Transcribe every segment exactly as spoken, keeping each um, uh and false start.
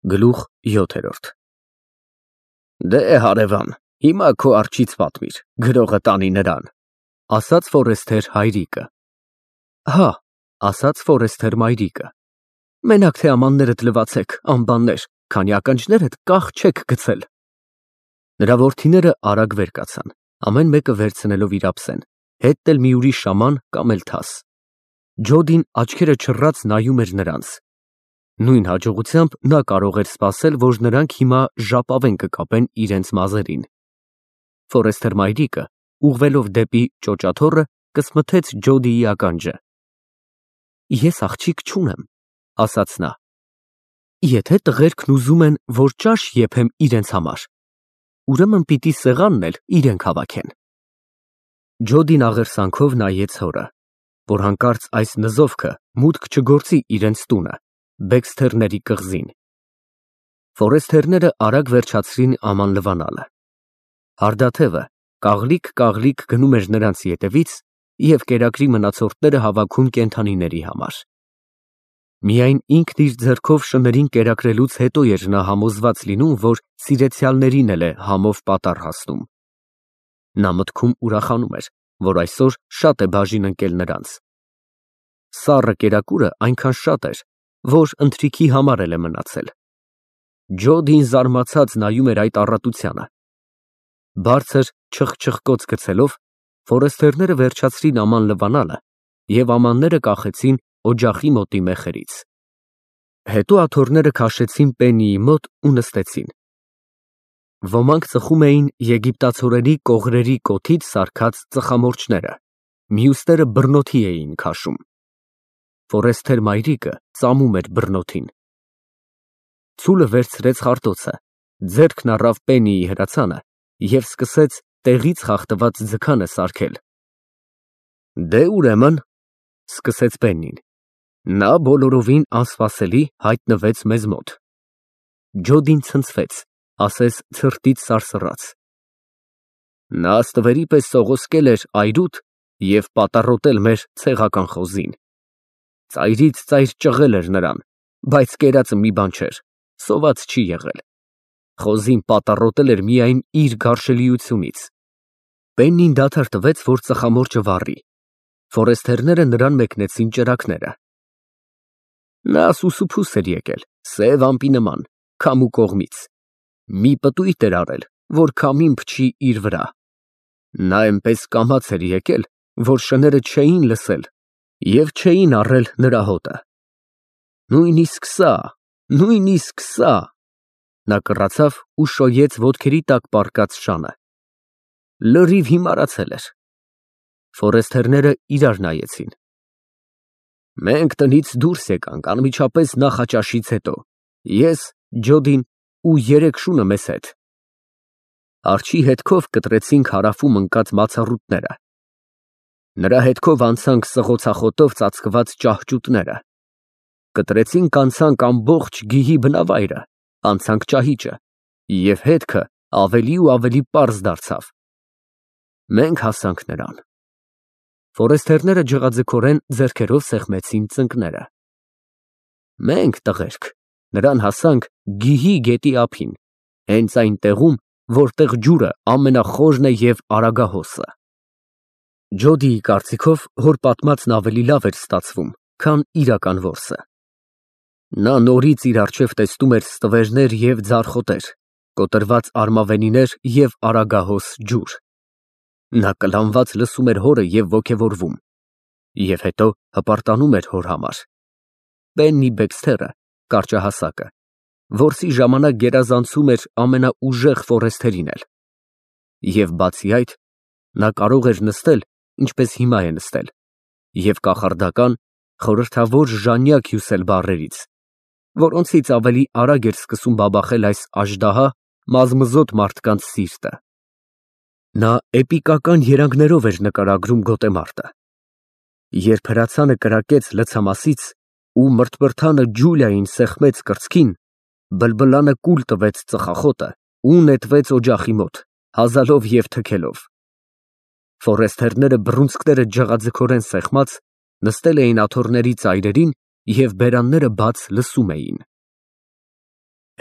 Գլուխ յոթ Դե հարևան, հիմա քո արջից պատմիր, գրողը տանի նրան, ասաց Ֆորեսթեր հայրիկը։ Հա, ասաց Ֆորեսթեր մայրիկը, մենակ թե ամաններդ լվացեք, անբաններ, քանի ականջներդ կախ չեք գցել։ Նրա որդիները արագ վեր կացան, ամեն մեկը վերցնելով իր ափսեն, հետն էլ մի ուրիշ շաման կամ էլ թաս։ Ջոդին աչքերը չռած նայում էր նրանց։ Նույն հաջողությամբ նա կարող էր սպասել, որ նրանք հիմա ժապավեն կկապեն իրենց մազերին։ Ֆորեսթեր մայրիկը, ուղղվելով դեպի ճոճաթոռը, կսմթեց Ջոդիի ականջը։ Ես աղջիկ չունեմ, ասաց նա։ Եթե տղերքն ուզում են, որ ճաշ եփեմ իրենց համար, ուրեմն պիտի սեղանն էլ իրենք հավաքեն։ Ջոդին աղերսանքով նայեց հորը, որ հանկարծ այս նզովքը մուտք չգործի իրենց տունը, Բեքսթերների կղզին։ Ֆորեսթերները արագ վերջացրին աման լվանալը։ Հարդաթևը կաղլիկ-կաղլիկ գնում էր նրանց ետևից և կերակրի մնացորդները հավաքում կենդանիների համար։ Միայն ինքն իր ձեռքով շներին կերակրելուց հետո էր նա համոզված լինում, որ սիրեցյալներին էլ է համով պատառ հասնում։ Նա մտքում ուրախանում էր, որ այսօր շատ է բաժին ընկել նրանց։ Սառը կերակուրը այնքան շատ էր, որ ընթրիքի համար էլ է մնացել։ Ջոդին զարմացած նայում էր այդ առատությանը։ Բարձր չխչխկոց գցելով, ֆորեսթերները վերջացրին աման լվանալը և ամանները կախեցին օջախի մոտի մեխերից։ Հետո աթոռները քաշեցին Պեննիի մոտ ու նստեցին։ Ոմանք ծխում էին եգիպտացորենի կողրերի կոթից սարքած ծխամորճները, մյուսները բռնոթի էին քաշում։ Ֆորեսթեր մայրիկը ծամում էր բռնոթին։ Ցուլը վերցրեց խարտոցը, ձեռքն առավ Պեննիի հրացանը և սկսեց տեղից խախտված ձգանը սարքել։ Դե ուրեմն, սկսեց Պեննին, նա բոլորովին անսպասելի հայտնվեց մեզ մոտ։ Ջոդին ցնցվեց, ասես ցրտից սարսռաց։ Նա ստվերի պես սողոսկել էր այրուդ և պատառոտել մեր ցեղական խոզին։ Ծայրից ծայր ճղել էր նրան, բայց կերածը մի բան չէր, սոված չի եղել։ Խոզին պատառոտել էր միայն իր գարշելիությունից։ Պեննին դադար տվեց, որ ծխամորճը վառի։ Ֆորեսթերները նրան մեկնեցին ճրագները։ Նա սուսուփուս էր եկել, սև ամպի նման, քամու կողմից։ Մի պտույտ էր արել, որ քամին փչի իր վրա։ Նա այնպես կամաց էր եկել, որ շները չէին լսել և չէին առել նրա հոտը։ Նույնիսկ սա, նույնիսկ սա… Նա կռացավ ու շոյեց ոտքերի տակ պառկած շանը։ Լրիվ հիմարացել էր։ Ֆորեսթերները իրար նայեցին։ Մենք տնից դուրս եկանք անմիջապես նախաճաշից հետո, ես, Ջոդին ու երեք շունը մեզ հետ։ Արջի հետքով կտրեցինք հարավում ընկած մացառուտները։ Նրա հետքով անցանք սղոցախոտով ծածկված ճահճուտները։ Կտրեցինք անցանք ամբողջ գիհի բնավայրը, անցանք ճահիճը, և հետքը ավելի ու ավելի պարզ դարձավ։ Մենք հասանք նրան։ Ֆորեսթերները ջղաձգորեն ձեռքերով սեղմեցին ծնկները։ Մենք, տղերք, նրան հասանք գիհի գետի ափին, հենց այն տեղում, որտեղ ջուրը ամենախորն է և արագահոսը։ Ջոդիի կարծիքով հոր պատմածն ավելի լավ էր ստացվում, քան իրական որսը։ Նա նորից իր առջև տեսնում էր ստվերներ և ձարխոտեր, կոտրված արմավենիներ և արագահոս ջուր։ Նա կլանված լսում էր հորը և ոգևորվում, և հետո հպարտանում էր հոր համար։ Պեննի Բեքսթերը, կարճահասակը, որսի ժամանակ գերազանցում էր ամենաուժեղ ֆորեսթերին էլ։ Եվ բացի այդ, նա կարող էր նստել, ինչպես հիմա է նստել, և կախարդական, խորհրդավոր ժանյակ հյուսել բառերից, որոնցից ավելի արագ էր սկսում բաբախել այս աժդահա մազմզոտ մարդկանց սիրտը։ Նա էպիկական երանգներով էր նկարագրում գոտեմարտը։ Երբ հրացանը կրակեց լցամասից ու մրթմրթանը Ջուլիային սեղմեց կրծքին, բլբլանը կուլ տվեց ծխախոտը ու նետվեց օջախի մոտ, հազալով և թքելով։ Ֆորեսթերները բռունցքները ջղաձգորեն սեղմած, նստել էին աթոռների ծայրերին և բերանները բաց լսում էին։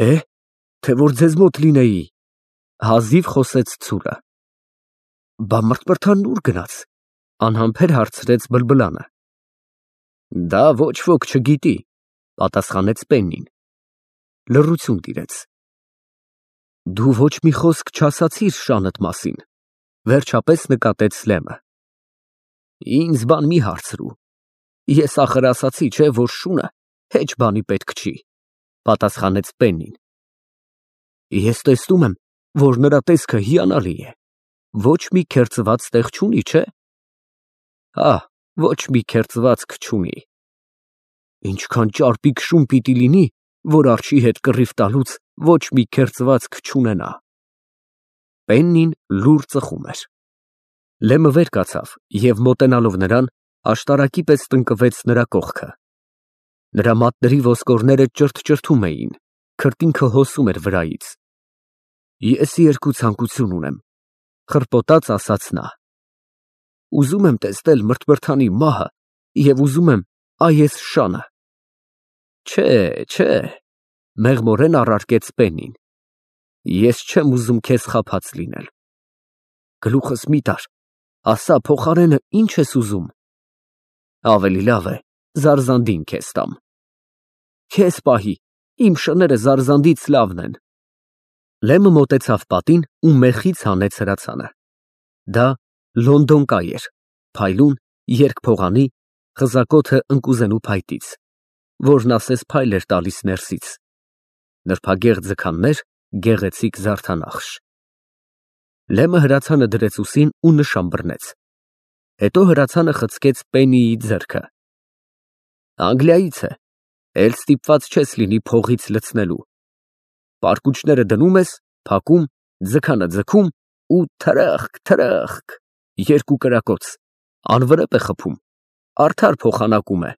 Է, թե որ ձեզ մոտ լինեի, հազիվ խոսեց ցուրը։ Բա մրթմրթանն ուր գնաց, անհամբեր հարցրեց բլբլանը։ Դա ոչ ոք չգիտի, պատասխանեց Պեննին։ Լռություն տիրեց։ Դու ոչ մի խոսք չասացիր շանդ մասին, վերջապես նկատեց Լեմը։ Ինձ բան մի հարցրու, ես ախր ասացի, չէ, որ շունը հեչ բանի պետք չի, պատասխանեց Պեննին։ Ես տեսնում եմ, որ նրա տեսքը հիանալի է, ոչ մի քերծված տեղ չունի, չէ։ Հա, ոչ մի քերծվածք չունի։ Ինչքան ճարպիկ շուն պիտի լինի, որ արջի հետ կռիվ տալուց ոչ մի քերծվածք չունենա։ Պեննին լուռ ծխում էր։ Լեմը վեր կացավ և մոտենալով նրան, աշտարակի պես տնկվեց նրա կողքը։ Նրա մատների ոսկորները ճրթճրթում էին, քրտինքը հոսում էր վրայից։ Ես երկու ցանկություն ունեմ, խռպոտած ասաց նա։ Ուզում եմ տեսնել մրթմրթանի մահը և ուզում եմ այես շանը։ Չէ, չէ, մեղմորեն առարկեց Պեննին։ Ես չեմ ուզում քեզ խաբած լինել։ Գլուխս մի տար, ասա փոխարենը ինչ ես ուզում։ Ավելի լավ է, զարզանդին քեզ տամ։ Քեզ պահի, իմ շները զարզանդից լավն են։ Լեմը մոտեցավ պատին ու մեխից հանեց հրացանը։ Դա լոնդոնկայ էր, փայլուն, երկփողանի, խզակոթը ընկուզենու փայտից, որն ասես փայլ էր տալիս ներսից։ Նրբագեղ ձգաններ, գեղեցիկ զարդանախշ։ Լեմը հրացանը դրեց ուսին ու նշան բռնեց։ Հետո հրացանը խցկեց Պեննիի ձեռքը։ Անգլիայից է, էլ ստիպված չես լինի փողից լցնելու։ Պարկուճները դնում ես, փակում, ձգանը ձգում ու թրախկ, թրախկ, երկու կրակոց, անվրեպ է խփում, արդար փոխանակում է։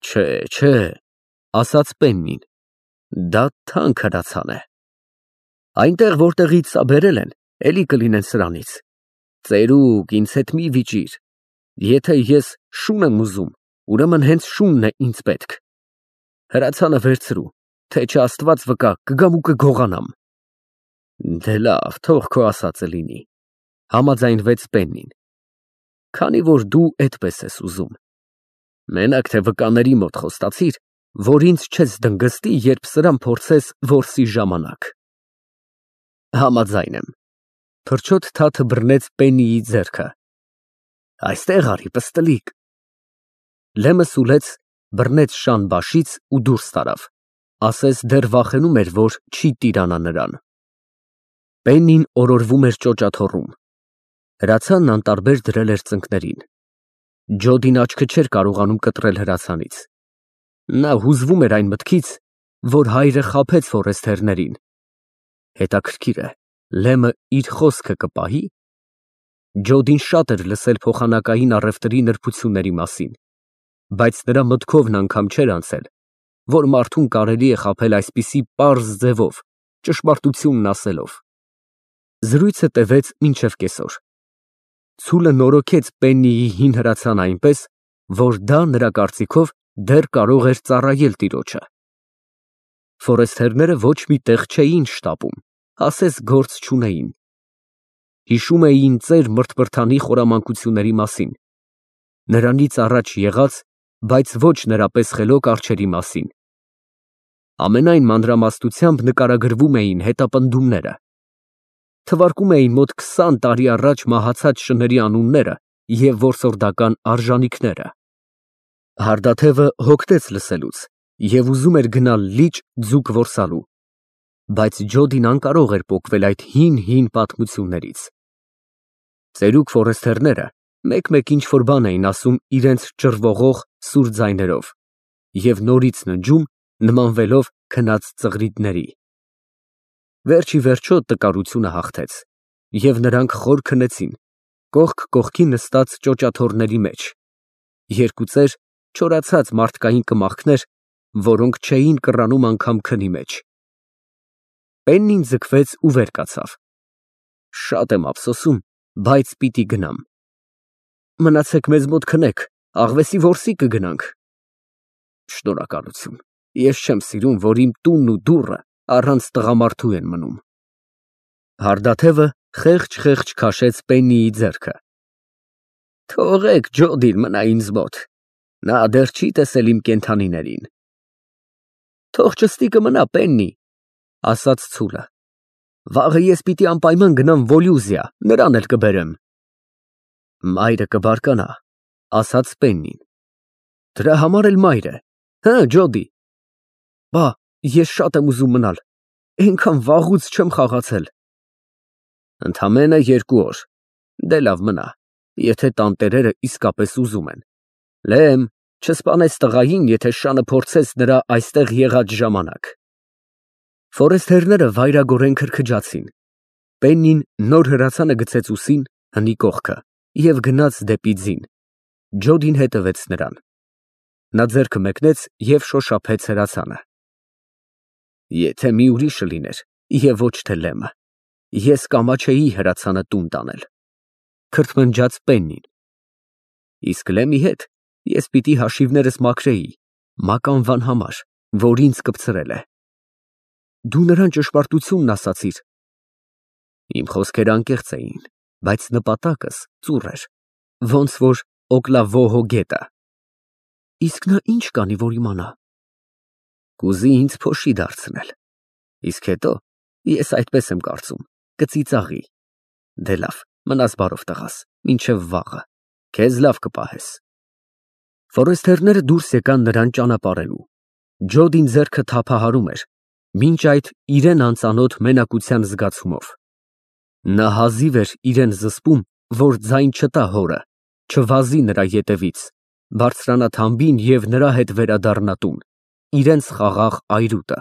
Չէ, չէ, ասաց Պեննին, դա թանկ հրացան է։ Այնտեղ, որտեղից սա բերել են, էլի կլինեն սրանից։ Ծերուկ, ինձ հետ մի վիճիր։ Եթե ես շուն եմ ուզում, ուրեմն հենց շունն է ինձ պետք։ Հրացանը վերցրու, թե չէ Աստված վկա, կգամ ու կգողանամ։ Դե լավ, թող քո ասածը լինի, համաձայնվեց Պեննին։ Քանի որ դու այդպես ես ուզում։ Մենակ թե վկաների մոտ խոստացիր, որ ինձ չես դնգստի, երբ սրան փորձես որսի ժամանակ։ Համաձայն եմ։ Թռչոտ թաթը բռնեց Պեննիի ձեռքը։ Այստեղ արի, պստլիկ։ Լեմը սուլեց, բռնեց շան բաշից ու դուրս տարավ, ասես դեռ վախենում էր, որ չի տիրանա նրան։ Պեննին օրորվում էր ճոճաթոռում։ Հրացանն անտարբեր դրել էր ծնկներին։ Ջոդին աչքը չէր կարողանում կտրել հրացանից։ Նա հուզվում էր այն մտքից, որ հայրը խաբեց ֆորեստերներին։ Հետաքրքիր է, Լեմը իր խոսքը կպահի։ Ջոդին շատ էր լսել փոխանակային առևտրի նրբությունների մասին, բայց նրա մտքովն անգամ չէր անցել, որ մարդուն կարելի է խաբել այսպիսի պարզ ձևով, ճշմարտությունն ասելով։ Զրույցը տևեց մինչև կեսօր։ Ցուլը նորոգեց Պեննիի հին հրացանը այնպես, որ դա նրա կարծիքով դեռ կարող էր ծառայել տիրոջը։ Ֆորեստերները ոչ մի տեղ չէին շտապում, ասես գործ չունեին։ Հիշում էին ծեր Մրթմրթանի խորամանկությունների մասին, նրանից առաջ եղած, բայց ոչ նրա պես խելոք արջերի մասին։ Ամենայն մանրամասնությամբ նկարագրվում էին հետապնդումները։ Թվարկում էին մոտ քսան տարի առաջ մահացած շների անունները և որսորդական արժանիքները։ Հարդաթևը հոգնեց լսելուց և ուզում էր գնալ լիճ ձուկ որսալու, բայց Ջոդին անկարող էր պոկվել այդ հին֊հին պատմություններից։ Ծերուկ ֆորեստերները մեկ֊մեկ ինչ-որ բան էին ասում իրենց ճռվողող սուր ձայներով և նորից ննջում, նմանվելով քնած ծղրիդների։ Վերջ ի վերջո տկարությունը հաղթեց, և նրանք խոր քնեցին, կողք կողքի նստած ճոճաթոռների մեջ, երկու ծեր, չորացած մարդկային կմախքներ, որոնք չէին կռանում անգամ քնի մեջ։ Պեննին ձգվեց ու վեր կացավ։ Շատ եմ ափսոսում, բայց պիտի գնամ։ Մնացեք մեզ մոտ քնեք, աղվեսի որսի կգնանք։ Շնորհակալություն, Ես չեմ սիրում, որ իմ տունն ու դուռը առանց տղամարդու են մնում։ Հարդաթևը խեղճ-խեղճ քաշեց Պեննիի ձեռքը։ Թողեք Ջոդին մնա ինձ մոտ, նա դեռ չի տեսել իմ կենդանիներին։ Թող ճստիկը մնա, Պեննի, ասաց ցուլը։ Վաղը ես պիտի անպայման գնամ Վոլյուզիա, նրան էլ կբերեմ։ Մայրը կբարկանա, ասաց Պեննին։ Դրա համար էլ մայր է, հը, Ջոդի։ Բա, ես շատ եմ ուզում մնալ, այնքան վաղուց չեմ խաղացել։ Ընդամենը երկու օր, դե լավ մնա, եթե տանտերերը իսկապես ուզում են։ Լեմ, չսպանես տղային, եթե շանը փորձես նրա այստեղ եղած ժամանակ։ Ֆորեստերները վայրագորեն քրքջացին։ Պեննին նոր հրացանը գցեց ուսին, հնի կողքը և գնաց դեպի ձին։ Ջոդին հետևեց նրան։ Նա ձեռքը մեկնեց և շոշափեց հրացանը։ Եթե մի ուրիշը լիներ, և ոչ թե Լեմը, ես կամաչեի հրացանը տուն տանել, քրթմնջաց Պեննին։ Իսկ Լեմի հետ ես պիտի հաշիվներս մաքրեի մականվան համար, որ ինձ կպցրել է։ Դու նրան ճշմարտությունն ասացիր։ Իմ խոսքերը անկեղծ էին, բայց նպատակս ծուռ էր, ոնց որ Օկլավոհո գետը։ Իսկ նա ինչ կանի, որ իմանա։ Կուզի ինձ փոշի դարձնել։ Իսկ հետո, ես այդպես եմ կարծում, կծիծաղի։ Դե լավ, մնաս բարով տղաս, մինչև վաղը, քեզ լավ կպահես։ Ֆորեստերները դուրս եկան նրան ճանապարհելու։ Ջոդին ձեռքը թափահարում էր, մինչ այդ իրեն անծանոթ մենակության զգացումով։ Նա հազիվ էր իրեն զսպում, որ ձայն չտա հորը, չվազի նրա ետևից, բարձրանա թամբին և նրա հետ վերադառնա տուն, իրենց խաղաղ այրուտը։